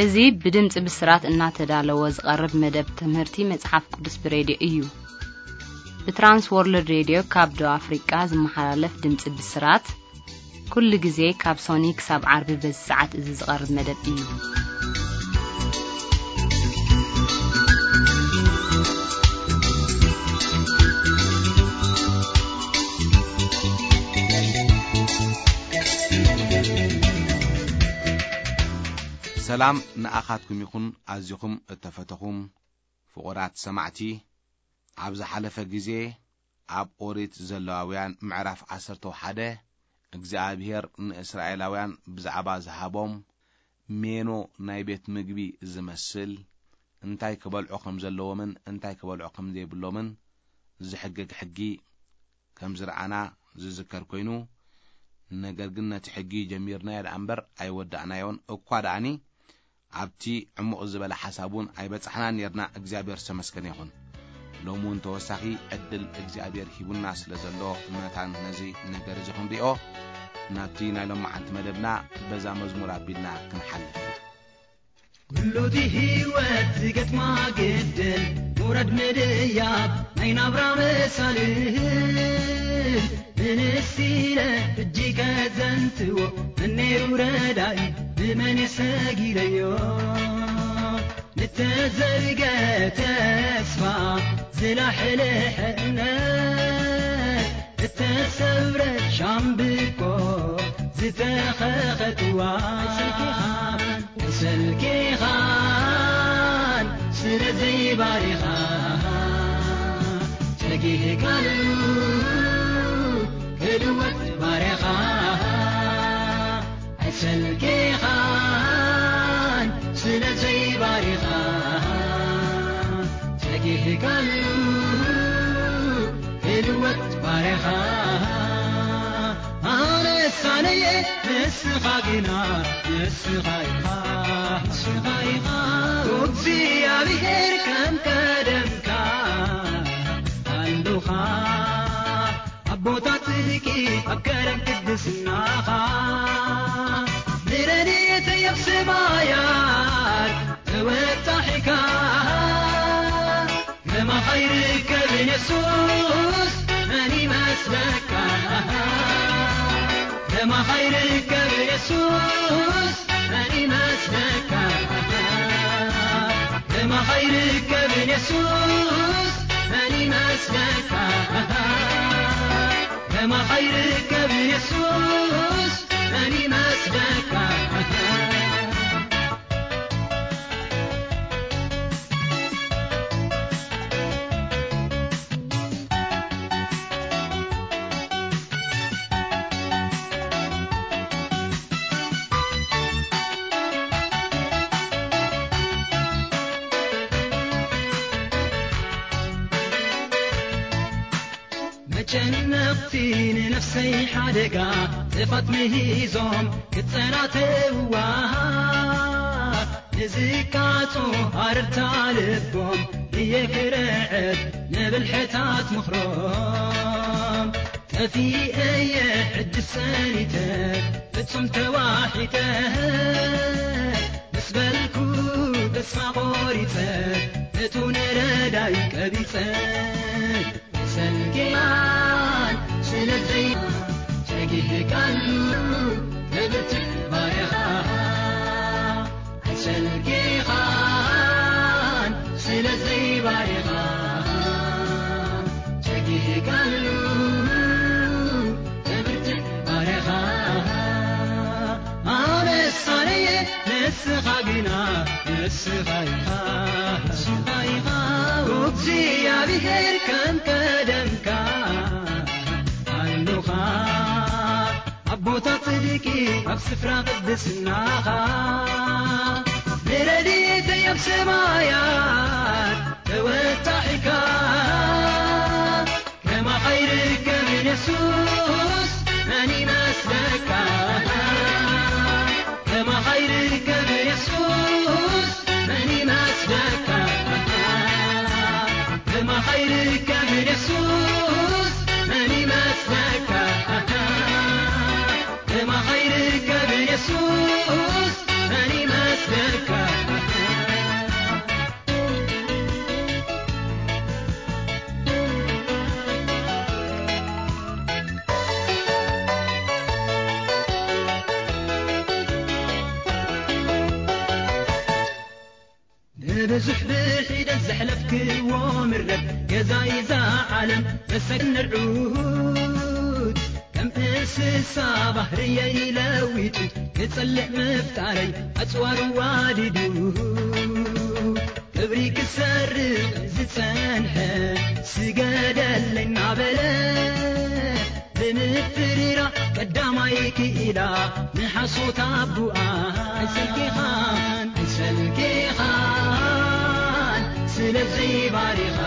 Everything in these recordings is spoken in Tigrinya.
እዚ ብድምጺ ብስራት እናተዳለወ ዝቐርብ መደብ ትምህርቲ መጽሓፍ ቅዱስ ብሬድዮ እዩ። ብትራንስ ወርልድ ሬድዮ ካብ ደቡብ ኣፍሪቃ ዝመሓላለፍ ድምጺ ብስራት፣ ኩሉ ግዜ ካብ ሶኒ ክሳብ ዓርቢ በዚ ሰዓት እዚ ዝቐርብ መደብ እዩ። ሰላም ንኣኻትኩም ይኹን፣ ኣዚኹም እተፈተኹም ፍቑራት ሰማዕቲ። ኣብ ዝሓለፈ ግዜ ኣብ ኦሪት ዘለዋውያን ምዕራፍ ዓሰርተ ሓደ፣ እግዚኣብሔር ንእስራኤላውያን ብዛዕባ ዝሃቦም ሜኖ ናይ ቤት ምግቢ ዝመስል፣ እንታይ ክበልዑ ከም ዘለዎምን እንታይ ክበልዑ ከም ዘይብሎምን ዝሕግግ ሕጊ ከም ዝረኣና ዝዝከር ኮይኑ፣ ነገር ግን ነቲ ሕጊ ጀሚርናዮ ደኣ እምበር ኣይወዳእናዮን። እኳ ደኣኒ ኣብቲ ዕሙቕ ዝበለ ሓሳብ እውን ኣይበጻሕናን ነርና። እግዚኣብሔር ዝተመስገነ ይኹን። ሎሚ እውን ተወሳኺ ዕድል እግዚኣብሔር ሂቡና ስለ ዘሎ፣ መታን ነዚ ነገር እዚ ክንሪኦ፣ ናብቲ ናይ ሎማዓንቲ መደብና በዛ መዝሙር ኣቢልና ክንሓልፍ ኢና። ኩሉ እቲ ህይወት ዝገጥማ ግድል፣ ምውራድ ምድያብ ናይ ናብራ መሳልል፣ ምንስ ኢለ እጅ ከዘንትዎ፣ መን ነይሩ ረዳኢ፣ ብመን የሰጊደዮ? ንተዘርገ ተስፋ፣ ዝላሕልሐ እምነት፣ እተሰብረ ሻምብቆ፣ ዝተኸኸ ጥዋን፣ ሰልኪኻን ስለ ዘይባሪኻ፣ ጸጊህካሉ ክልወጥ ባርያኻ። ኣይሰልኬኻን ስለ ዘይባሪኻ፣ ጸጊህካሉ ክልወጥ ባርያኻ። ኣነ ሳነየ ንስኻ ግና፣ ንስኻ ኢኻ፣ ንስኻ ኢኻ። እግዚኣብሔር ከም ቀደምካ ኣሉኻ። ኣብ ቦታ ጽድቂ ኣብ ከረን ቅድስናኻ፣ ንረድኤተይ ኣብ ሰማያት ተወጣሒካ። ከማኻ ይርከብን የሱስ መን ይመስለካ? ከማኻ ይርከብን የሱስ መን ይመስለካ? ከማኻ ይርከብን የሱስ መን ይመስለካ? ከማኻ ይርከብን የሱስ መን ይመስለካ? መጨነቕቲ ንነፍሰይ ሓደጋ፣ ጥፋት ምሂዞም ክጸናተውዋ፣ ንዝቃጾ ኣረርታ ልቦም እየ ክርዕድ፣ ንብልሕታት ምኽሮም ጠፊኤ እየ ሕጂ ሰኒተ፣ ፍጹም ተዋሒጠ፣ ምስ በልኩ ተስፋ ቆሪጸ፣ እቱ ንረዳይ ቀቢጸ። ሰልኪኻን ስለዘይ ጸጊህካሉ፣ ንብርትዕ ባርያኻ። ኣይሰልኪኻን ስለዘይ ባርያኻ፣ ጸጊህካሉ፣ ንብርትዕ ባርያኻ። ኣነ ሳነየ ንስኻ ግና፣ ንስኻ ኢኻ፣ ንስኻ ኢኻ። እግዚኣብሔር ከም ቀደምካ ኣሉኻ። ኣብ ቦታ ጽድቂ ኣብ ስፍራ ቅድስናኻ፣ ንረድኤተይ ኣብ ሰማያት ተወጣሒካ። ከማኻ ይርከብን የሱስ መን ይመስለካ? ከማኻ ይርከብን የሱስ መን ይመስለካ? ከማኻ ይርከብን የሱስ መን ይመስለካ? ከማኻ ይርከብን የሱስ መን ይመስለካ? ብዙሕ ብሒደት ዘሕለፍክዎ ምረት ገዛይ እዛ ዓለም መሰግን ንርዑት ከም እንስሳ ባህርየይ ለዊጡ ክጸልእ ምፍጣረይ ኣጽዋሩ ዋዲዱ ክብሪ ክሰርቕ ዝጸንሐ ስገደለይ እናበለ ብምፍርራ ቀዳማይ ክኢላ ንሓሶት ኣቡኣ ኣይሰልኪኻን ኣይሰልኪኻን ስለዚ ባሪኻ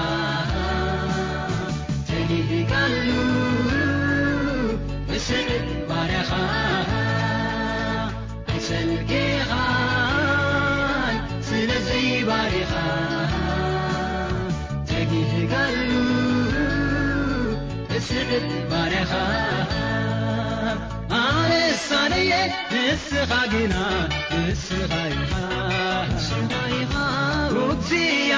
ተጊህካሉ ብስዕብ ባርያኻ ኣይሰልኪኻን ስለዚ ባሪኻ ተጊህካሉ ብስዕብ ባርያኻ ኣነሳነየ ንስኻ ግና ንስኻ ኢኻ ንስኻ ኢኻ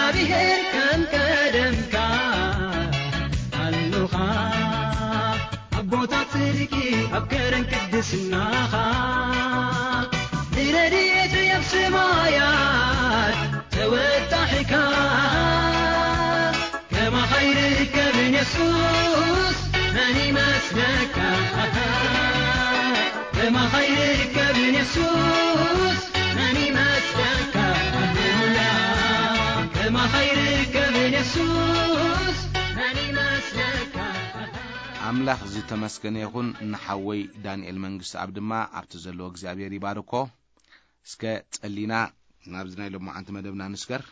እግዚኣብሔር ከም ቀደምካ ኣሉኻ ኣብ ቦታ ጽድቂ ኣብ ከረን ቅድስናኻ ንረድኤት ኣብ ሰማያት ተወጣሒካ ከማኻ ይርከብን የሱስ መን ይመስለካ ከማኻ ይርከብን የሱስ መን ይመስለካ ሃሌሉያ ከማኻ ይርከብን የሱስ መን ይመስለካ ኣምላኽ ዝተመስገነ ይኹን። ንሓወይ ዳንኤል መንግስቲ ኣብ ድማ ኣብቲ ዘለዎ እግዚኣብሔር ይባርኮ። እስከ ጸሊና ናብዚ ናይ ሎማዓንቲ መደብና ንስገር።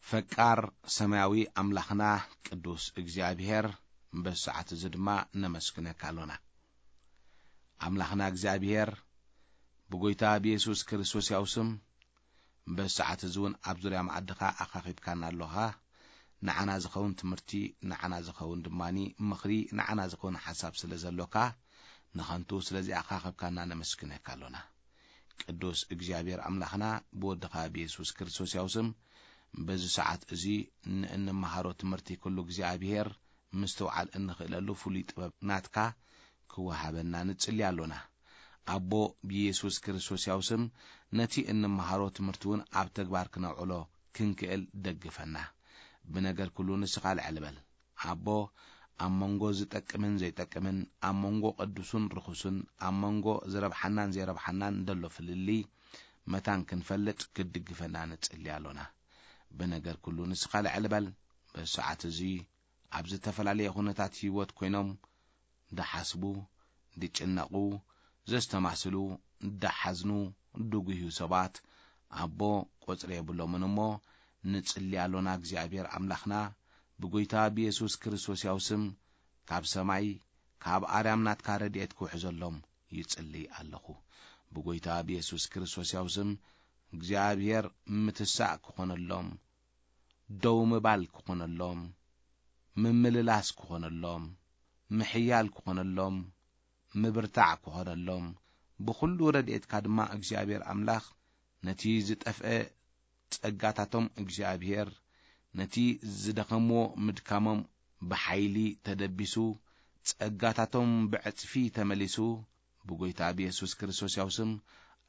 ፈቃር ሰማያዊ ኣምላኽና ቅዱስ እግዚኣብሔር በዚ ሰዓት እዚ ድማ ነመስግነካ ኣሎና። ኣምላኽና እግዚኣብሔር ብጎይታ ብየሱስ ክርስቶስ ያው ስም በዚ ሰዓት እዚ እውን ኣብ ዙርያ መኣድኻ ኣኻኺብካና ኣሎኻ። ንዓና ዝኸውን ትምህርቲ፣ ንዓና ዝኸውን ድማኒ ምኽሪ፣ ንዓና ዝኸውን ሓሳብ ስለ ዘሎካ ንኸንቱ ስለዚ ኣኻኺብካና ነመስግነካ ኣሎና። ቅዱስ እግዚኣብሔር ኣምላኽና ብወድኻ ብየሱስ ክርስቶስ ያው ስም በዚ ሰዓት እዚ ንእንመሃሮ ትምህርቲ ኩሉ እግዚኣብሔር ምስትውዓል እንኽእለሉ ፍሉይ ጥበብ ናትካ ክወሃበና ንጽሊ ኣሎና። ኣቦ ብየሱስ ክርስቶስ ያው ስም ነቲ እንመሃሮ ትምህርቲ እውን ኣብ ተግባር ክነውዕሎ ክንክእል ደግፈና። ብነገር ኩሉ ንስኻ ልዕል በል። ኣቦ ኣብ መንጎ ዝጠቅምን ዘይጠቅምን፣ ኣብ መንጎ ቅዱሱን ርኹስን፣ ኣብ መንጎ ዝረብሓናን ዘይረብሓናን ደሎ ፍልልይ መታን ክንፈልጥ ክትድግፈና ንጽሊ ኣሎና። ብነገር ኩሉ ንስኻ ልዕል በል። በዚ ሰዓት እዚ ኣብ ዝተፈላለየ ኩነታት ህይወት ኮይኖም ድሓስቡ፣ ድጭነቑ፣ ዘስተማስሉ፣ ድሓዝኑ፣ ድጉህዩ ሰባት ኣቦ ቁጽሪ የብሎምን እሞ ንጽሊ ኣሎና። እግዚኣብሔር ኣምላኽና ብጎይታ ብየሱስ ክርስቶስ ያው ስም ካብ ሰማይ ካብ ኣርያም ናትካ ረድኤት ክውሕዘሎም ይጽሊ ኣለኹ። ብጎይታ ብየሱስ ክርስቶስ ያው ስም እግዚኣብሔር ምትሳእ ክኾነሎም፣ ደው ምባል ክኾነሎም፣ ምምልላስ ክኾነሎም፣ ምሕያል ክኾነሎም፣ ምብርታዕ ክኾነሎም፣ ብኹሉ ረድኤትካ ድማ እግዚኣብሔር ኣምላኽ ነቲ ዝጠፍአ ጸጋታቶም እግዚኣብሔር ነቲ ዝደኸምዎ ምድካሞም ብሓይሊ ተደቢሱ፣ ጸጋታቶም ብዕጽፊ ተመሊሱ፣ ብጎይታ ብየሱስ ክርስቶስ ያው ስም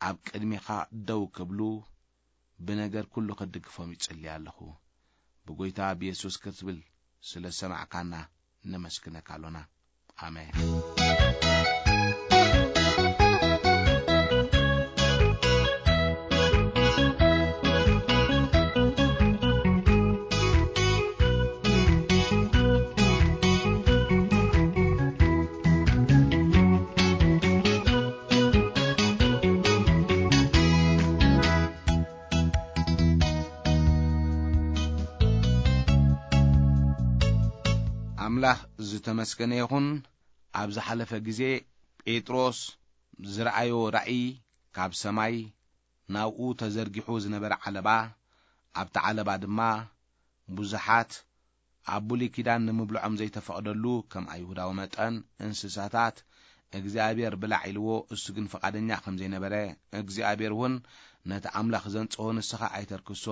ኣብ ቅድሜኻ ደው ክብሉ፣ ብነገር ኩሉ ክድግፎም ይጽሊ ኣለኹ። ብጎይታ ብየሱስ ክትብል ስለ ሰማዕካና ነመስግነካ ኣሎና። ኣሜን። ኣምላኽ ዝተመስገነ ይኹን። ኣብ ዝሓለፈ ግዜ ጴጥሮስ ዝረኣዮ ራእይ ካብ ሰማይ ናብኡ ተዘርጊሑ ዝነበረ ዓለባ፣ ኣብቲ ዓለባ ድማ ብዙሓት ኣብ ብሉይ ኪዳን ንምብልዖም ዘይተፈቕደሉ ከም ኣይሁዳዊ መጠን እንስሳታት እግዚኣብሔር ብላዕ ኢልዎ፣ እሱ ግን ፍቓደኛ ከም ዘይነበረ፣ እግዚኣብሔር እውን ነቲ ኣምላኽ ዘንጽሆ ንስኻ ኣይተርክሶ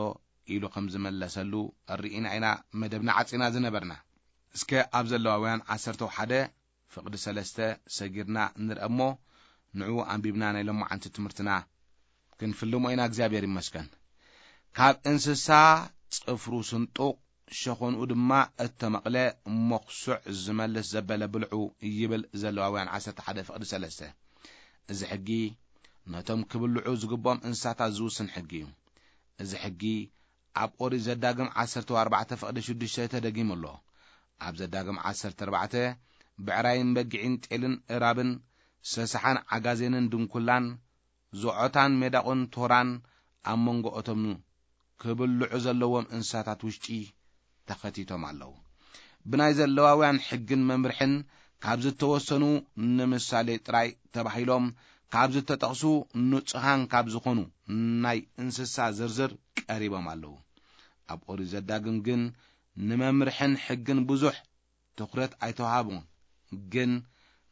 ኢሉ ከም ዝመለሰሉ ርኢና ኢና መደብና ዓጺና ዝነበርና። እስከ ኣብ ዘለዋውያን ዓሰርተ ሓደ ፍቕዲ ሰለስተ ሰጊርና ንርአ እሞ፣ ንዕኡ ኣንቢብና ናይ ሎማዓንቲ ትምህርትና ክንፍልሞ ኢና እግዚኣብሔር ይመስገን። ካብ እንስሳ ጽፍሩ ስንጡቕ ሸኾንኡ ድማ እተመቕለ መኹስዕ ዝመልስ ዘበለ ብልዑ ይብል ዘለዋውያን ዓሰርተ ሓደ ፍቕዲ ሰለስተ። እዚ ሕጊ ነቶም ክብልዑ ዝግብኦም እንስሳታት ዝውስን ሕጊ እዩ። እዚ ሕጊ ኣብ ኦሪት ዘዳግም ዓሰርተ ኣርባዕተ ፍቕዲ ሽዱሽተ ተደጊሙ ኣሎ። ኣብ ዘዳግም ዓሰርተ ኣርባዕተ ብዕራይን በጊዕን ጤልን እራብን ሰሳሓን ዓጋዜንን ድንኩላን ዞዖታን ሜዳቑን ቶራን ኣብ መንጎ እቶም ክብልዑ ዘለዎም እንስሳታት ውሽጢ ተኸቲቶም ኣለዉ። ብናይ ዘለዋውያን ሕግን መምርሕን ካብ ዝተወሰኑ ንምሳሌ ጥራይ ተባሂሎም ካብ ዝተጠቕሱ ንጹሃን ካብ ዝኾኑ ናይ እንስሳ ዝርዝር ቀሪቦም ኣለዉ። ኣብ ኦሪት ዘዳግም ግን ንመምርሕን ሕግን ብዙሕ ትኹረት ኣይተዋሃቡን። ግን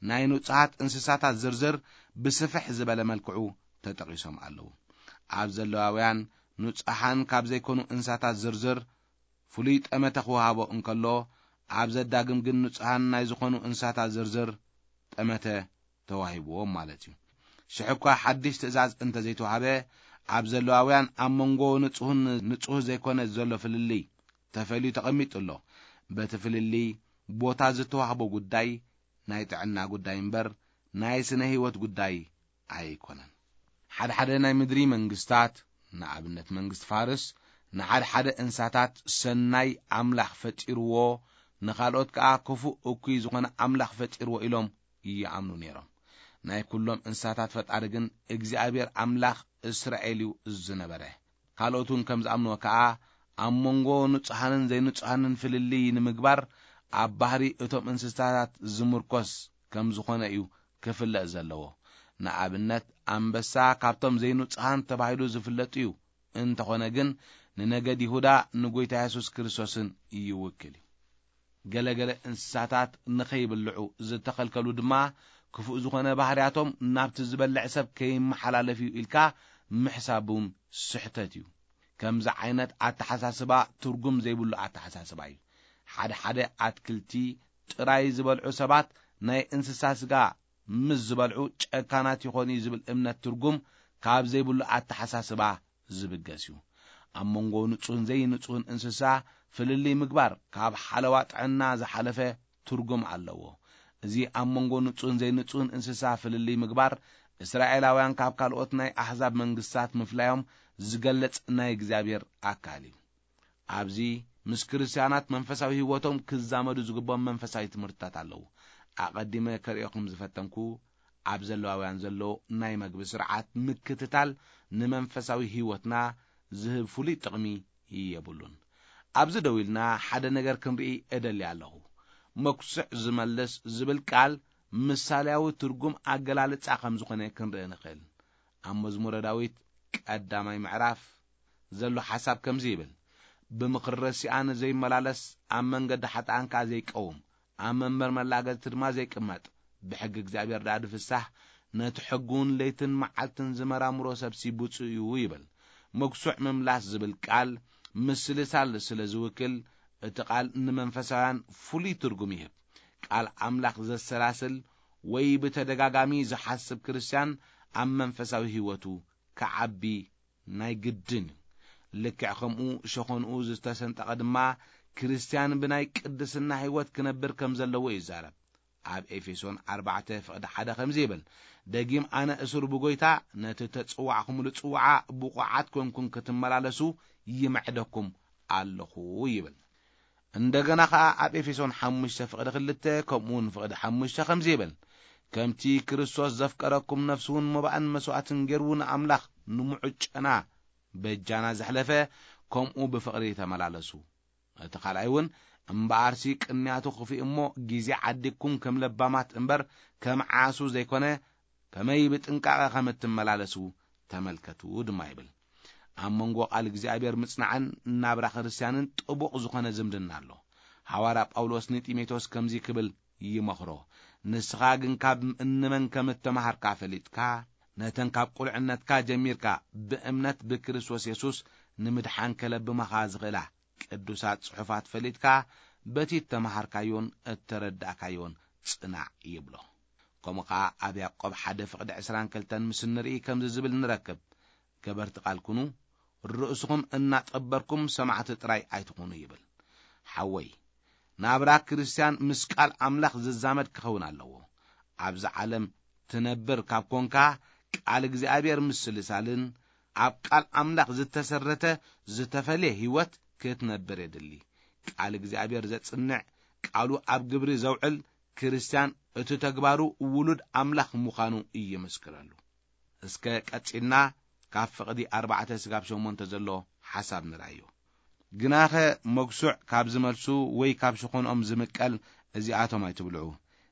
ናይ ንጹሃት እንስሳታት ዝርዝር ብስፍሕ ዝበለ መልክዑ ተጠቒሶም ኣለዉ። ኣብ ዘለዋውያን ንጹሃን ካብ ዘይኮኑ እንስሳታት ዝርዝር ፍሉይ ጠመተ ክወሃቦ እንከሎ፣ ኣብ ዘዳግም ግን ንጹሃን ናይ ዝኾኑ እንስሳታት ዝርዝር ጠመተ ተዋሂብዎም ማለት እዩ። ሽሕ እኳ ሓድሽ ትእዛዝ እንተ ዘይተዋህበ፣ ኣብ ዘለዋውያን ኣብ መንጎ ንጹህን ንጹህ ዘይኮነ ዘሎ ፍልልይ ተፈልዩ ተቐሚጡ ኣሎ። በቲ ፍልልይ ቦታ ዝተዋህቦ ጉዳይ ናይ ጥዕና ጉዳይ እምበር ናይ ስነ ህይወት ጉዳይ ኣይኮነን። ሓደ ሓደ ናይ ምድሪ መንግስታት፣ ንኣብነት መንግስቲ ፋርስ፣ ንሓደ ሓደ እንስሳታት ሰናይ ኣምላኽ ፈጢርዎ፣ ንኻልኦት ከኣ ክፉእ እኩይ ዝኾነ ኣምላኽ ፈጢርዎ ኢሎም ይኣምኑ ነይሮም። ናይ ኩሎም እንስሳታት ፈጣሪ ግን እግዚኣብሔር ኣምላኽ እስራኤል እዩ ዝነበረ። ካልኦት እውን ከም ዝኣምንዎ ከኣ ኣብ መንጎ ንጹሃንን ዘይንጹሃንን ፍልልይ ንምግባር ኣብ ባህሪ እቶም እንስሳታት ዝምርኮስ ከም ዝኾነ እዩ ክፍለጥ ዘለዎ። ንኣብነት ኣንበሳ ካብቶም ዘይንጹሃን ተባሂሉ ዝፍለጥ እዩ። እንተኾነ ግን ንነገድ ይሁዳ ንጎይታ የሱስ ክርስቶስን ይውክል እዩ። ገለገለ እንስሳታት ንኸይብልዑ ዝተኸልከሉ ድማ ክፉእ ዝኾነ ባህርያቶም ናብቲ ዝበልዕ ሰብ ከይመሓላለፍ እዩ ኢልካ ምሕሳብ እውን ስሕተት እዩ። ከምዚ ዓይነት ኣተሓሳስባ ትርጉም ዘይብሉ ኣተሓሳስባ እዩ። ሓደ ሓደ ኣትክልቲ ጥራይ ዝበልዑ ሰባት ናይ እንስሳ ስጋ ምስ ዝበልዑ ጨካናት ይኾኑ እዩ ዝብል እምነት ትርጉም ካብ ዘይብሉ ኣተሓሳስባ ዝብገስ እዩ። ኣብ መንጎ ንጹህን ዘይንጹህን እንስሳ ፍልልይ ምግባር ካብ ሓለዋ ጥዕና ዝሓለፈ ትርጉም ኣለዎ። እዚ ኣብ መንጎ ንጹህን ዘይንጹህን እንስሳ ፍልልይ ምግባር እስራኤላውያን ካብ ካልኦት ናይ ኣሕዛብ መንግስታት ምፍላዮም ዝገልጽ ናይ እግዚኣብሔር ኣካል እዩ። ኣብዚ ምስ ክርስትያናት መንፈሳዊ ህይወቶም ክዛመዱ ዝግብኦም መንፈሳዊ ትምህርትታት ኣለዉ። ኣቐዲመ ከርእየኹም ዝፈተንኩ ኣብ ዘለዋውያን ዘሎ ናይ መግቢ ስርዓት ምክትታል ንመንፈሳዊ ህይወትና ዝህብ ፍሉይ ጥቕሚ የብሉን። ኣብዚ ደው ኢልና ሓደ ነገር ክንርኢ እደሊ ኣለኹ። መኩስዕ ዝመልስ ዝብል ቃል ምሳሌያዊ ትርጉም ኣገላልጻ ከም ዝኾነ ክንርኢ ንኽእል። ኣብ መዝሙረ ዳዊት ቀዳማይ ምዕራፍ ዘሎ ሓሳብ ከምዚ ይብል፣ ብምኽሪ ረሲኣን ዘይመላለስ፣ ኣብ መንገዲ ሓጥኣን ከኣ ዘይቀውም፣ ኣብ መንበር መላገጽቲ ድማ ዘይቅመጥ፣ ብሕጊ እግዚኣብሔር ደኣ ዝፍሳህ፣ ነቲ ሕጉን ለይትን መዓልትን ዝመራምሮ ሰብሲ ብፁእ እዩ ይብል። መጉሱዕ ምምላስ ዝብል ቃል ምስልሳል ስለ ዝውክል፣ እቲ ቃል ንመንፈሳውያን ፍሉይ ትርጉም ይህብ። ቃል ኣምላኽ ዘሰላስል ወይ ብተደጋጋሚ ዝሓስብ ክርስትያን ኣብ መንፈሳዊ ህይወቱ ክዓቢ ናይ ግድን እዩ። ልክዕ ከምኡ ሸኾንኡ ዝተሰንጠቐ ድማ ክርስትያን ብናይ ቅድስና ህይወት ክነብር ከም ዘለዎ ይዛረብ። ኣብ ኤፌሶን ኣርባዕተ ፍቕዲ ሓደ ከምዚ ይብል፣ ደጊም ኣነ እሱር ብጎይታ ነቲ ተጽዋዕኩምሉ ጽዋዓ ብቑዓት ኮንኩም ክትመላለሱ ይምዕደኩም ኣለኹ ይብል። እንደገና ኸኣ ኣብ ኤፌሶን ሓሙሽተ ፍቕዲ ክልተ ከምኡ እውን ፍቕዲ ሓሙሽተ ከምዚ ይብል፣ ከምቲ ክርስቶስ ዘፍቀረኩም ነፍሱ እውን መባእን መስዋእትን ገይሩ ንኣምላኽ ንምዑጨና በጃና ዘሕለፈ፣ ከምኡ ብፍቕሪ ተመላለሱ። እቲ ካልኣይ እውን እምበኣርሲ ቅንያቱ ክፍእ እሞ ግዜ ዓዲግኩም ከም ለባማት እምበር ከም ዓሱ ዘይኮነ ከመይ ብጥንቃቐ ከም እትመላለሱ ተመልከቱ ድማ ይብል። ኣብ መንጎ ቃል እግዚኣብሔር ምጽናዕን ናብራ ክርስትያንን ጥቡቕ ዝኾነ ዝምድና ኣሎ። ሃዋርያ ጳውሎስ ንጢሞቴዎስ ከምዚ ክብል ይመኽሮ፣ ንስኻ ግን ካብ እንመን ከም እተመሃርካ ፈሊጥካ፣ ነተን ካብ ቁልዕነትካ ጀሚርካ ብእምነት ብክርስቶስ የሱስ ንምድሓን ከለብማኻ ዝኽእላ ቅዱሳት ጽሑፋት ፈሊጥካ፣ በቲ እተመሃርካዮን እተረዳእካዮን ጽናዕ ይብሎ። ከምኡ ኸኣ ኣብ ያዕቆብ ሓደ ፍቕዲ ዕስራን ክልተን ምስ እንርኢ ከምዚ ዝብል ንረክብ፣ ከበርቲ ቃል ኩኑ፣ ርእስኹም እናጠበርኩም ሰማዕቲ ጥራይ ኣይትኹኑ ይብል። ሓወይ፣ ናብራ ክርስትያን ምስ ቃል ኣምላኽ ዝዛመድ ክኸውን ኣለዎ። ኣብዚ ዓለም ትነብር ካብ ኮንካ፣ ቃል እግዚኣብሔር ምስልሳልን ኣብ ቃል ኣምላኽ ዝተሰረተ ዝተፈልየ ህይወት ክትነብር የድሊ። ቃል እግዚኣብሔር ዘጽንዕ፣ ቃሉ ኣብ ግብሪ ዘውዕል ክርስትያን እቲ ተግባሩ ውሉድ ኣምላኽ ምዃኑ ይምስክረሉ። እስከ ቀጺልና ካብ ፍቕዲ ኣርባዕተ ስጋብ ሸሞንተ ዘሎ ሓሳብ ንርኣዮ። ግናኸ መጉሱዕ ካብ ዝመልሱ ወይ ካብ ሸኾንኦም ዝምቀል እዚኣቶም ኣይትብልዑ።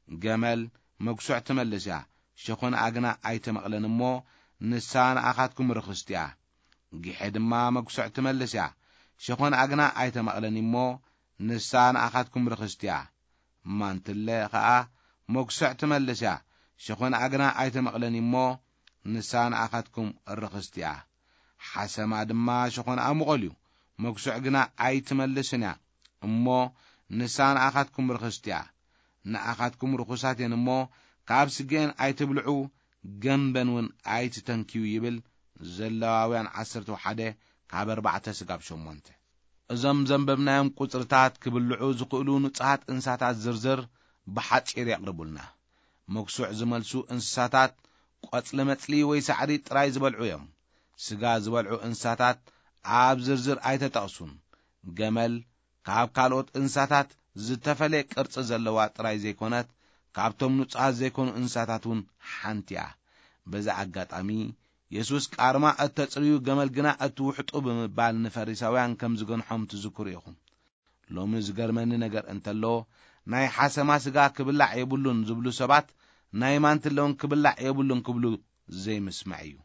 ገመል መጉሱዕ ትመልስ እያ፣ ሸኾንኣ ግና ኣይተመቕለን እሞ ንሳ ንኣኻትኩም ርኽስቲ እያ። ጊሐ ድማ መጉሱዕ ትመልስ እያ፣ ሸኾንኣ ግና ኣይተመቕለን እሞ ንሳ ንኣኻትኩም ርኽስቲ እያ። ማንትለ ኸኣ መጉሱዕ ትመልስ እያ፣ ሸኾንኣ ግና ኣይተመቕለን እሞ ንሳ ንኣኻትኩም ርኽስቲ እያ። ሓሰማ ድማ ሸኾንኣ ምቖል እዩ፣ መጉሱዕ ግና ኣይትመልስን እያ፣ እሞ ንሳ ንኣኻትኩም ርኽስቲ እያ። ንኣኻትኩም ርኹሳት እየን እሞ ካብ ስገኤን ኣይትብልዑ፣ ገምበን እውን ኣይትተንክዩ ይብል። ዘለዋውያን ዓሰርተ ሓደ ካብ ኣርባዕተ ስጋብ ሸሞንተ። እዞም ዘንበብናዮም ቁጽርታት ክብልዑ ዝኽእሉ ንጹሃት እንስሳታት ዝርዝር ብሓጺር የቕርቡልና። መጉሱዕ ዝመልሱ እንስሳታት ቆጽሊ መጽሊ ወይ ሳዕሪ ጥራይ ዝበልዑ እዮም። ስጋ ዝበልዑ እንስሳታት ኣብ ዝርዝር ኣይተጠቕሱን። ገመል ካብ ካልኦት እንስሳታት ዝተፈልየ ቅርጺ ዘለዋ ጥራይ ዘይኮነት፣ ካብቶም ንጹሃት ዘይኮኑ እንስሳታት እውን ሓንቲ እያ። በዚ ኣጋጣሚ የሱስ ቃርማ እተጽርዩ ገመል ግና እትውሕጡ ብምባል ንፈሪሳውያን ከም ዝገንሖም ትዝክሩ ኢኹም። ሎሚ ዝገርመኒ ነገር እንተሎ፣ ናይ ሓሰማ ስጋ ክብላዕ የብሉን ዝብሉ ሰባት ናይ ማንትለ እውን ክብላዕ የብሉን ክብሉ ዘይምስማዕ እዩ።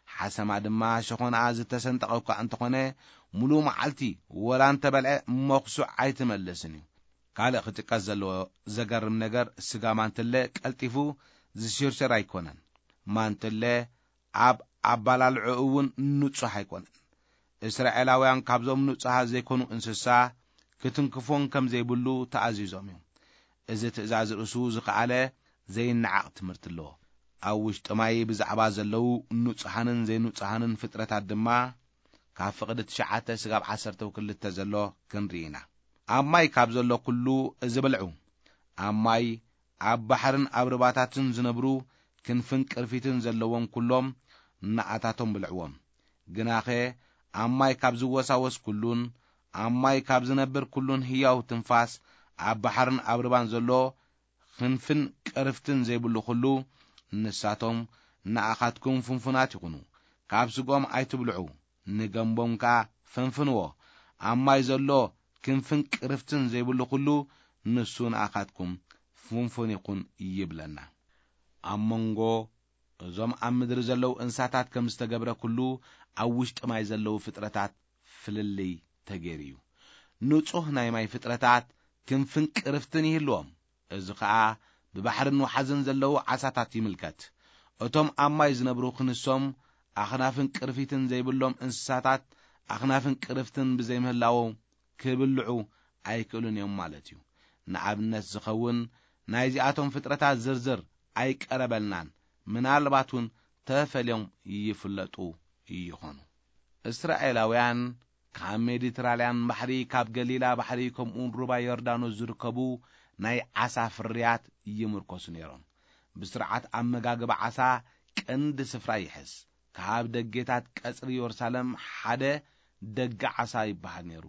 ሓሰማ ድማ ሸኾንኣ ዝተሰንጠቐ እኳ እንተኾነ፣ ሙሉእ መዓልቲ ወላ እንተበልዐ መኹሱዕ ኣይትመልስን እዩ። ካልእ ክጥቀስ ዘለዎ ዘገርም ነገር፣ ስጋ ማንትለ ቀልጢፉ ዝሽርሸር ኣይኮነን። ማንትለ ኣብ ኣባላልዑ እውን ንጹህ ኣይኮነን። እስራኤላውያን ካብዞም ንጹሃት ዘይኮኑ እንስሳ ክትንክፎን ከም ዘይብሉ ተኣዚዞም እዮም። እዚ ትእዛዝ ርእሱ ዝኸኣለ ዘይነዓቕ ትምህርቲ ኣለዎ። ኣብ ውሽጢ ማይ ብዛዕባ ዘለዉ ንጹሃንን ዘይንጹሃንን ፍጥረታት ድማ ካብ ፍቕዲ ትሽዓተ ስጋብ ዓሰርተ ክልተ ዘሎ ክንርኢ ኢና። ኣብ ማይ ካብ ዘሎ ኩሉ እዚ ብልዑ። ኣብ ማይ፣ ኣብ ባሕርን ኣብ ርባታትን ዝነብሩ ክንፍን ቅርፊትን ዘለዎም ኩሎም ንኣታቶም ብልዕዎም። ግናኸ ኣብ ማይ ካብ ዝወሳወስ ኩሉን ኣብ ማይ ካብ ዝነብር ኩሉን ህያው ትንፋስ ኣብ ባሕርን ኣብ ርባን ዘሎ ክንፍን ቅርፍትን ዘይብሉ ኩሉ፣ ንሳቶም ንኣኻትኩም ፍንፉናት ይኹኑ። ካብ ስግኦም ኣይትብልዑ፣ ንገምቦም ከኣ ፈንፍንዎ። ኣብ ማይ ዘሎ ክንፍን ቅርፍትን ዘይብሉ ኩሉ፣ ንሱ ንኣኻትኩም ፍንፉን ይኹን ይብለና። ኣብ መንጎ እዞም ኣብ ምድሪ ዘለዉ እንስሳታት ከም ዝተገብረ ኩሉ፣ ኣብ ውሽጢ ማይ ዘለዉ ፍጥረታት ፍልልይ ተገይሩ እዩ። ንጹህ ናይ ማይ ፍጥረታት ክንፍን ቅርፍትን ይህልዎም። እዚ ኸኣ ብባሕርን ወሓዝን ዘለዉ ዓሳታት ይምልከት። እቶም ኣብ ማይ ዝነብሩ ክንሶም ኣኽናፍን ቅርፊትን ዘይብሎም እንስሳታት ኣኽናፍን ቅርፍትን ብዘይምህላዎም ክብልዑ ኣይክእሉን እዮም ማለት እዩ። ንኣብነት ዝኸውን ናይዚኣቶም ፍጥረታት ዝርዝር ኣይቀረበልናን፣ ምናልባት እውን ተፈልዮም ይፍለጡ ይኾኑ። እስራኤላውያን ካብ ሜዲትራልያን ባሕሪ፣ ካብ ገሊላ ባሕሪ፣ ከምኡውን ሩባ ዮርዳኖስ ዝርከቡ ናይ ዓሳ ፍርያት ይምርኮሱ ነይሮም። ብስርዓት ኣመጋግባ ዓሳ ቀንዲ ስፍራ ይሕዝ። ካብ ደጌታት ቀጽሪ የሩሳሌም ሓደ ደገ ዓሳ ይበሃል ነይሩ።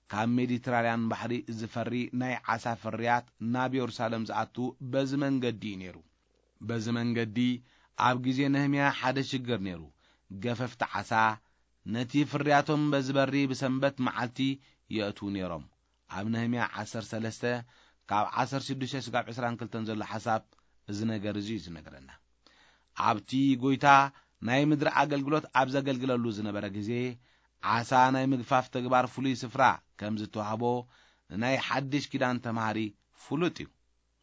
ካብ ሜዲትራልያን ባሕሪ ዝፈሪ ናይ ዓሳ ፍርያት ናብ የሩሳሌም ዝኣቱ በዚ መንገዲ እዩ ነይሩ። በዚ መንገዲ ኣብ ግዜ ነህምያ ሓደ ሽግር ነይሩ። ገፈፍቲ ዓሳ ነቲ ፍርያቶም በዚ በሪ ብሰንበት መዓልቲ የእትዉ ነይሮም። ኣብ ነህምያ ዓሰርተ ሰለስተ ካብ ዓሰርተ ሽዱሽተ ስጋብ ዕስራን ክልተን ዘሎ ሓሳብ እዚ ነገር እዚ እዩ ዝነግረና። ኣብቲ ጎይታ ናይ ምድሪ ኣገልግሎት ኣብ ዘገልግለሉ ዝነበረ ግዜ፣ ዓሳ ናይ ምግፋፍ ተግባር ፍሉይ ስፍራ ከም ዝተዋህቦ ንናይ ሓድሽ ኪዳን ተማሃሪ ፍሉጥ እዩ።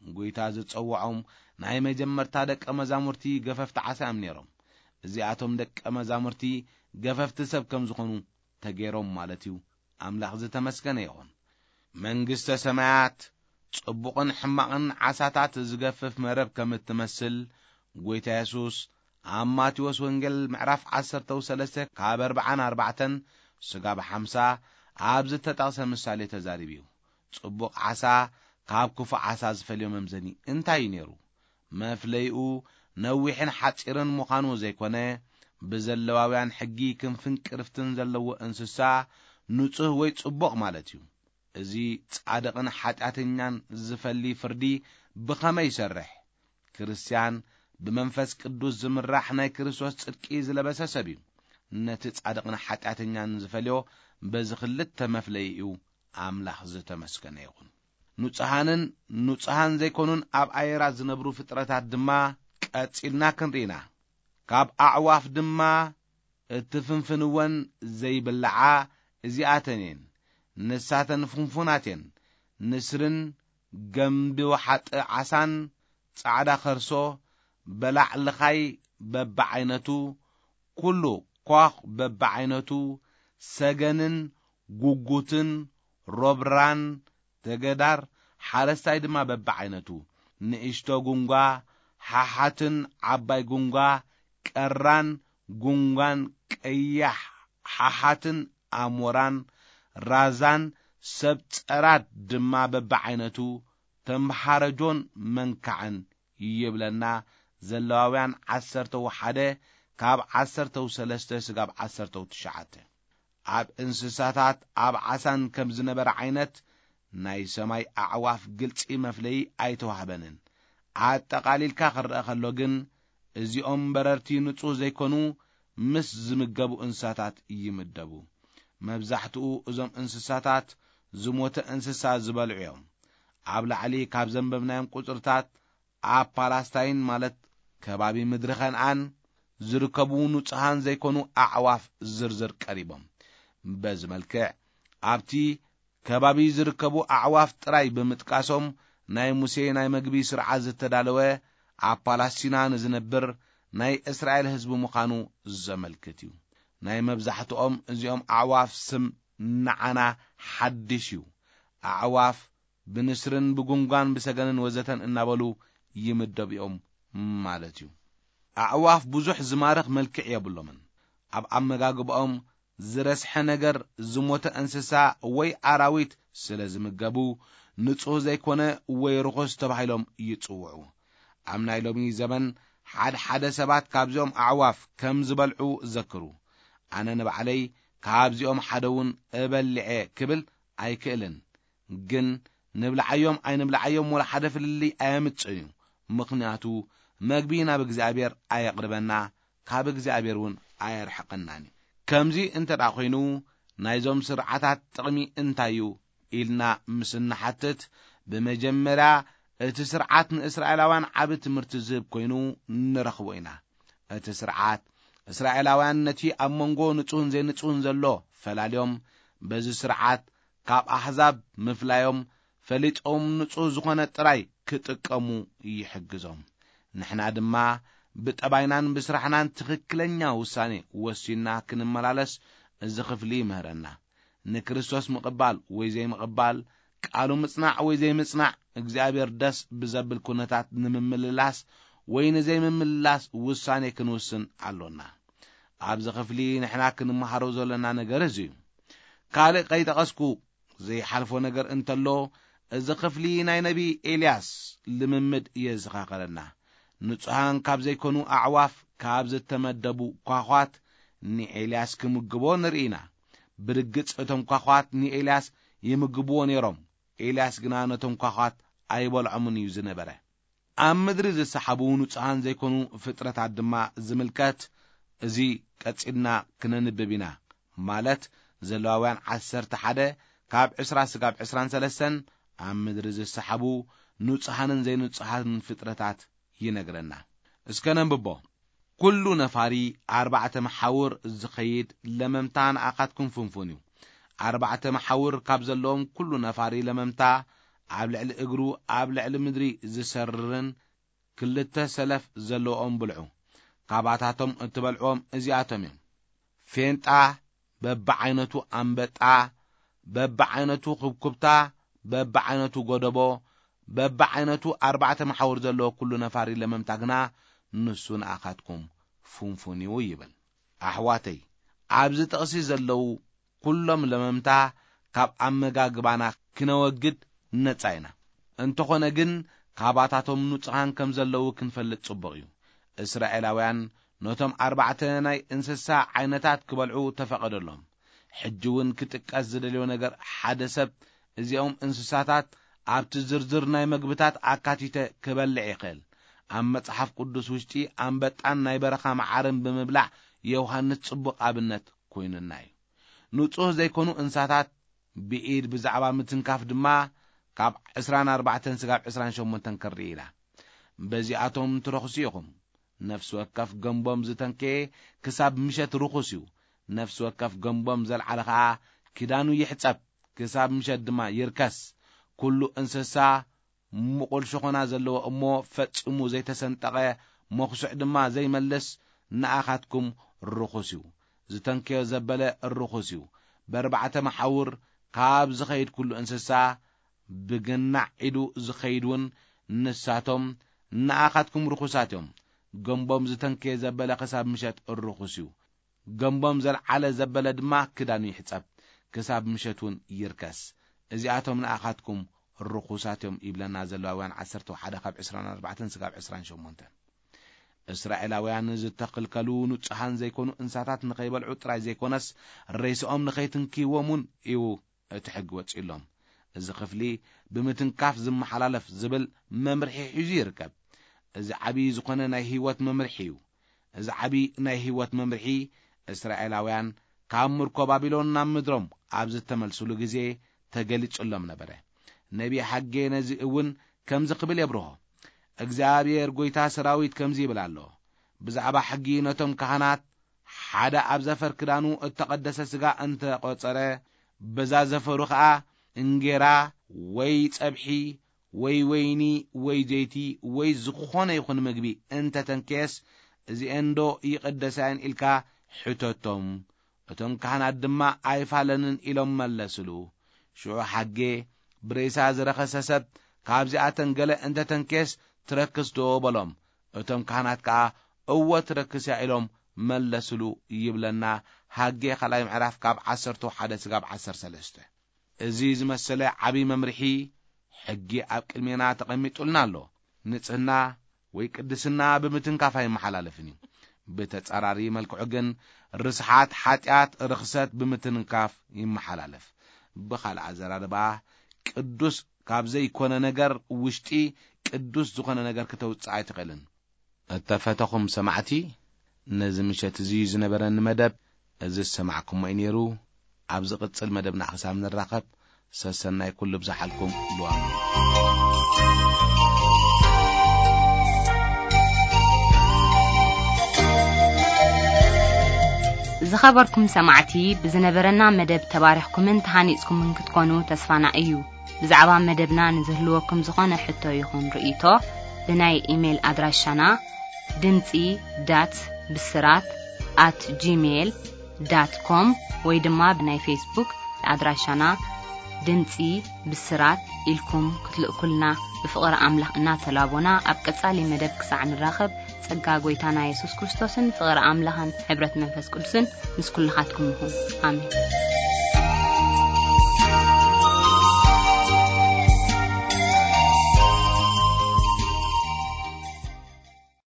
ጎይታ ዝጸውዖም ናይ መጀመርታ ደቀ መዛሙርቲ ገፈፍቲ ዓሳ እዮም ነይሮም። እዚኣቶም ደቀ መዛሙርቲ ገፈፍቲ ሰብ ከም ዝኾኑ ተገይሮም ማለት እዩ። ኣምላኽ ዝተመስገነ ይኹን። መንግስተ ሰማያት ጽቡቕን ሕማቕን ዓሳታት ዝገፍፍ መረብ ከም እትመስል፣ ጎይታ የሱስ ኣብ ማቴዎስ ወንጌል ምዕራፍ ዓሰርተ ሰለስተ ካብ ኣርብዓን ኣርባዕተን ስጋብ ሓምሳ ኣብ ዝተጠቕሰ ምሳሌ ተዛሪቡ እዩ። ጽቡቕ ዓሳ ካብ ክፉእ ዓሳ ዝፈልዮ መምዘኒ እንታይ እዩ ነይሩ? መፍለይኡ ነዊሕን ሓጺርን ምዃኑ ዘይኮነ፣ ብዘለዋውያን ሕጊ ክንፍን ቅርፍትን ዘለዎ እንስሳ ንጹህ ወይ ጽቡቕ ማለት እዩ። እዚ ጻድቕን ሓጢኣተኛን ዝፈሊ ፍርዲ ብኸመይ ይሰርሕ? ክርስትያን ብመንፈስ ቅዱስ ዝምራሕ ናይ ክርስቶስ ጽድቂ ዝለበሰ ሰብ እዩ። ነቲ ጻድቕን ሓጢኣተኛን ዝፈልዮ በዚ ክልተ መፍለይኡ ኣምላኽ ዝተመስገነ ይኹን። ንጹሃንን ንጹሃን ዘይኮኑን ኣብ ኣየራት ዝነብሩ ፍጥረታት ድማ ቀጺልና ክንርኢና። ካብ ኣዕዋፍ ድማ እትፍንፍንወን ዘይብልዓ እዚኣተን እየን። ንሳተን ፍንፉናት እየን። ንስርን ገምቢ ወሓጢ ዓሳን ጻዕዳ ከርሶ፣ በላዕ ልኻይ በብዓይነቱ፣ ኩሉ ኳኽ በብዓይነቱ፣ ሰገንን ጉጉትን ሮብራን ተገዳር፣ ሓረስታይ ድማ በብዓይነቱ፣ ንእሽቶ ጉንጓ፣ ሓሓትን ዓባይ ጉንጓ፣ ቀራን ጉንጓን፣ ቀያሕ ሓሓትን ኣሞራን ራዛን፣ ሰብ ጸራድ ድማ በብዓይነቱ፣ ተምሃረጆን መንካዕን ይብለና። ዘለዋውያን ዓሰርተ ሓደ ካብ ዓሰርተ ሰለስተ ስጋብ ዓሰርተ ትሽዓተ። ኣብ እንስሳታት ኣብ ዓሳን ከም ዝነበረ ዓይነት ናይ ሰማይ ኣዕዋፍ ግልጺ መፍለዪ ኣይተዋህበንን። ኣጠቓሊልካ ክረአ ከሎ ግን እዚኦም በረርቲ ንጹህ ዘይኮኑ ምስ ዝምገቡ እንስሳታት ይምደቡ። መብዛሕትኡ እዞም እንስሳታት ዝሞተ እንስሳ ዝበልዑ እዮም። ኣብ ላዕሊ ካብ ዘንበብናዮም ቁጽርታት ኣብ ፓላስታይን ማለት ከባቢ ምድሪ ከነኣን ዝርከቡ ንጹሃን ዘይኮኑ ኣዕዋፍ ዝርዝር ቀሪቦም። በዚ መልክዕ ኣብቲ ከባቢ ዝርከቡ ኣዕዋፍ ጥራይ ብምጥቃሶም ናይ ሙሴ ናይ መግቢ ስርዓት ዝተዳለወ ኣብ ፓላስቲና ንዝነብር ናይ እስራኤል ህዝቢ ምዃኑ ዘመልክት እዩ። ናይ መብዛሕትኦም እዚኦም ኣዕዋፍ ስም ንዓና ሓድሽ እዩ። ኣዕዋፍ ብንስርን ብጉንጓን ብሰገንን ወዘተን እናበሉ ይምደቡ እዮም ማለት እዩ። ኣዕዋፍ ብዙሕ ዝማርኽ መልክዕ የብሎምን። ኣብ ኣመጋግባኦም ዝረስሐ ነገር፣ ዝሞተ እንስሳ ወይ ኣራዊት ስለ ዝምገቡ፣ ንጹህ ዘይኮነ ወይ ርኹስ ተባሂሎም ይጽውዑ። ኣብ ናይ ሎሚ ዘመን ሓድሓደ ሰባት ካብዚኦም ኣዕዋፍ ከም ዝበልዑ ዘክሩ። ኣነ ንባዕለይ ካብዚኦም ሓደ እውን እበልዐ ክብል ኣይክእልን። ግን ንብልዓዮም ኣይንብልዓዮም ወላ ሓደ ፍልልይ ኣየምጽእን እዩ። ምኽንያቱ መግቢ ናብ እግዚኣብሔር ኣየቕርበና፣ ካብ እግዚኣብሔር እውን ኣየርሕቐናን እዩ። ከምዚ እንተ ደኣ ኾይኑ ናይዞም ስርዓታት ጥቕሚ እንታይ እዩ ኢልና ምስ እንሓትት፣ ብመጀመርያ እቲ ስርዓት ንእስራኤላውያን ዓቢ ትምህርቲ ዝህብ ኮይኑ ንረኽቦ ኢና። እቲ ስርዓት እስራኤላውያን ነቲ ኣብ መንጎ ንጹህን ዘይንጹህን ዘሎ ፈላልዮም፣ በዚ ስርዓት ካብ ኣሕዛብ ምፍላዮም ፈሊጦም ንጹህ ዝኾነ ጥራይ ክጥቀሙ ይሕግዞም። ንሕና ድማ ብጠባይናን ብስራሕናን ትኽክለኛ ውሳኔ ወሲንና ክንመላለስ እዚ ክፍሊ ይምህረና። ንክርስቶስ ምቕባል ወይ ዘይምቕባል፣ ቃሉ ምጽናዕ ወይ ዘይምጽናዕ፣ እግዚኣብሔር ደስ ብዘብል ኩነታት ንምምልላስ ወይ ንዘይምምልላስ ውሳኔ ክንውስን ኣሎና። ኣብዚ ክፍሊ ንሕና ክንመሃሮ ዘለና ነገር እዚ እዩ። ካልእ ከይጠቐስኩ ዘይሓልፎ ነገር እንተሎ፣ እዚ ክፍሊ ናይ ነቢ ኤልያስ ልምምድ የዘኻኸረና። ንጹሃን ካብ ዘይኮኑ ኣዕዋፍ ካብ ዝተመደቡ ኳዃት ንኤልያስ ክምግቦ ንርኢ ኢና። ብርግጽ እቶም ኳዃት ንኤልያስ ይምግብዎ ነይሮም። ኤልያስ ግና ነቶም ኳዃት ኣይበልዖምን እዩ ዝነበረ። ኣብ ምድሪ ዝሰሓቡ ንጹሃን ዘይኮኑ ፍጥረታት ድማ ዝምልከት እዚ ቀጺልና ክነንብብ ኢና። ማለት ዘለዋውያን ዓሰርተ ሓደ ካብ ዕስራ ስጋብ ዕስራን ሰለስተን ኣብ ምድሪ ዝሰሓቡ ንጹሃንን ዘይንጹሃንን ፍጥረታት ይነግረና። እስከ ነንብቦ። ኩሉ ነፋሪ ኣርባዕተ መሓውር ዝኸይድ ለመምታ ንኣኻትኩም ፍንፉን እዩ። ኣርባዕተ መሓውር ካብ ዘለዎም ኩሉ ነፋሪ ለመምታ ኣብ ልዕሊ እግሩ ኣብ ልዕሊ ምድሪ ዝሰርርን ክልተ ሰለፍ ዘለዎም ብልዑ። ካባታቶም እትበልዕዎም እዚኣቶም እዮም። ፌንጣ፣ በብዓይነቱ ኣንበጣ፣ በብዓይነቱ ኩብኩብታ፣ በብዓይነቱ ጎደቦ፣ በብዓይነቱ ኣርባዕተ መሓውር ዘለዎ ኩሉ ነፋሪ ለመምታ ግና ንሱ ንኣኻትኩም ፍንፉን እዩ ይብል። ኣሕዋተይ፣ ኣብዚ ጥቕሲ ዘለዉ ኩሎም ለመምታ ካብ ኣመጋግባና ክነወግድ ነጻ ኢና። እንተኾነ ግን፣ ካባታቶም ንጹሃን ከም ዘለዉ ክንፈልጥ ጽቡቕ እዩ። እስራኤላውያን ነቶም ኣርባዕተ ናይ እንስሳ ዓይነታት ክበልዑ ተፈቐደሎም። ሕጂ እውን ክጥቀስ ዝደልዮ ነገር፣ ሓደ ሰብ እዚኦም እንስሳታት ኣብቲ ዝርዝር ናይ መግብታት ኣካቲተ ክበልዕ ይኽእል። ኣብ መጽሓፍ ቅዱስ ውሽጢ ኣንበጣን ናይ በረኻ መዓርን ብምብላዕ ዮሃንስ ጽቡቕ ኣብነት ኮይኑና እዩ። ንጹህ ዘይኮኑ እንስሳታት ብኢድ ብዛዕባ ምትንካፍ ድማ ካብ ዕስራን ኣርባዕተን ስጋብ ዕስራን ሸሞንተን ከርኢ ኢላ። በዚኣቶም ትረኽሱ ኢኹም። ነፍሲ ወከፍ ገንቦም ዝተንከየ ክሳብ ምሸት ርኹስ እዩ። ነፍሲ ወከፍ ገንቦም ዘልዓለ ኸኣ ክዳኑ ይሕጸብ፣ ክሳብ ምሸት ድማ ይርከስ። ኩሉ እንስሳ ምቑል ሸኾና ዘለዎ እሞ ፈጺሙ ዘይተሰንጠቐ፣ መኹስዕ ድማ ዘይመልስ፣ ንኣኻትኩም ርኹስ እዩ። ዝተንከዮ ዘበለ ርኹስ እዩ። በርባዕተ መሓውር ካብ ዝኸይድ ኩሉ እንስሳ፣ ብገናዕ ኢዱ ዝኸይድ እውን፣ ንሳቶም ንኣኻትኩም ርኹሳት እዮም። ገንቦም ዝተንከየ ዘበለ ክሳብ ምሸት ርኹስ እዩ። ገንቦም ዘልዓለ ዘበለ ድማ ክዳኑ ይሕጸብ፣ ክሳብ ምሸት እውን ይርከስ። እዚኣቶም ንኣኻትኩም ርኹሳት እዮም ይብለና ዘሌዋውያን ዓሰርተ ሓደ ካብ ዕስራን ኣርባዕተን ስጋብ ዕስራን ሸሞንተን። እስራኤላውያን ዝተኸልከሉ ንጹሃን ዘይኮኑ እንስሳታት ንኸይበልዑ ጥራይ ዘይኮነስ፣ ሬስኦም ንኸይትንክይዎም እውን እዩ እቲ ሕጊ ወጺኡሎም። እዚ ክፍሊ ብምትንካፍ ዝመሓላለፍ ዝብል መምርሒ ሒዙ ይርከብ። እዚ ዓቢ ዝኾነ ናይ ህይወት መምርሒ እዩ። እዚ ዓቢ ናይ ህይወት መምርሒ፣ እስራኤላውያን ካብ ምርኮ ባቢሎን ናብ ምድሮም ኣብ ዝተመልሱሉ ግዜ ተገሊጹሎም ነበረ። ነቢ ሓጌ ነዚ እውን ከምዚ ክብል የብርሆ፣ እግዚኣብሔር ጐይታ ሰራዊት ከምዚ ይብል ኣሎ፣ ብዛዕባ ሕጊ ነቶም ካህናት፣ ሓደ ኣብ ዘፈር ክዳኑ እተቐደሰ ሥጋ እንተ ቖጸረ፣ በዛ ዘፈሩ ኸኣ እንጌራ ወይ ጸብሒ ወይ ወይኒ ወይ ዘይቲ ወይ ዝኾነ ይኹን ምግቢ እንተ ተንከየስ፣ እዚኤንዶ ይቕደሳ እየን ኢልካ ሕተቶም። እቶም ካህናት ድማ ኣይፋለንን ኢሎም መለስሉ። ሽዑ ሓጌ፣ ብሬሳ ዝረኸሰ ሰብ ካብዚኣተን ገለ እንተ ተንከየስ ትረክስዶ በሎም። እቶም ካህናት ከኣ እወ ትረክስ እያ ኢሎም መለስሉ ይብለና። ሓጌ ካልኣይ ምዕራፍ ካብ ዓሰርተ ሓደ ስጋብ ዓሰርተ ሰለስተ። እዚ ዝመሰለ ዓቢ መምርሒ ሕጊ ኣብ ቅድሜና ተቐሚጡልና ኣሎ። ንጽህና ወይ ቅድስና ብምትንካፍ ኣይመሓላለፍን እዩ። ብተጻራሪ መልክዑ ግን ርስሓት፣ ሓጢኣት፣ ርኽሰት ብምትንካፍ ይመሓላለፍ። ብኻልእ ኣዘራርባ፣ ቅዱስ ካብ ዘይኮነ ነገር ውሽጢ ቅዱስ ዝኾነ ነገር ክተውጽእ ኣይትኽእልን። እተፈተኹም ሰማዕቲ፣ ነዚ ምሸት እዚ ዝነበረኒ መደብ እዚ ዝሰማዕኩሞ እዩ ነይሩ። ኣብ ዝቕጽል መደብና ክሳብ ንራኸብ፣ ሰሰናይ ኩሉ ብዝሓልኩም። ልዋም። ዝኸበርኩም ሰማዕቲ፣ ብዝነበረና መደብ ተባሪኽኩምን ተሃኒጽኩምን ክትኮኑ ተስፋና እዩ። ብዛዕባ መደብና ንዝህልወኩም ዝኾነ ሕቶ ይኹን ርእይቶ፣ ብናይ ኢሜይል ኣድራሻና ድምጺ ዳት ብስራት ኣት ጂሜይል ዳት ኮም ወይ ድማ ብናይ ፌስቡክ ኣድራሻና ድምጺ ብስራት ኢልኩም ክትልእኩልና ብፍቕሪ ኣምላኽ እናተላቦና፣ ኣብ ቀጻሊ መደብ ክሳዕ ንራኸብ፣ ጸጋ ጐይታና የሱስ ክርስቶስን ፍቕሪ ኣምላኽን ሕብረት መንፈስ ቅዱስን ምስ ኩልኻትኩም ይኹን። ኣሜን።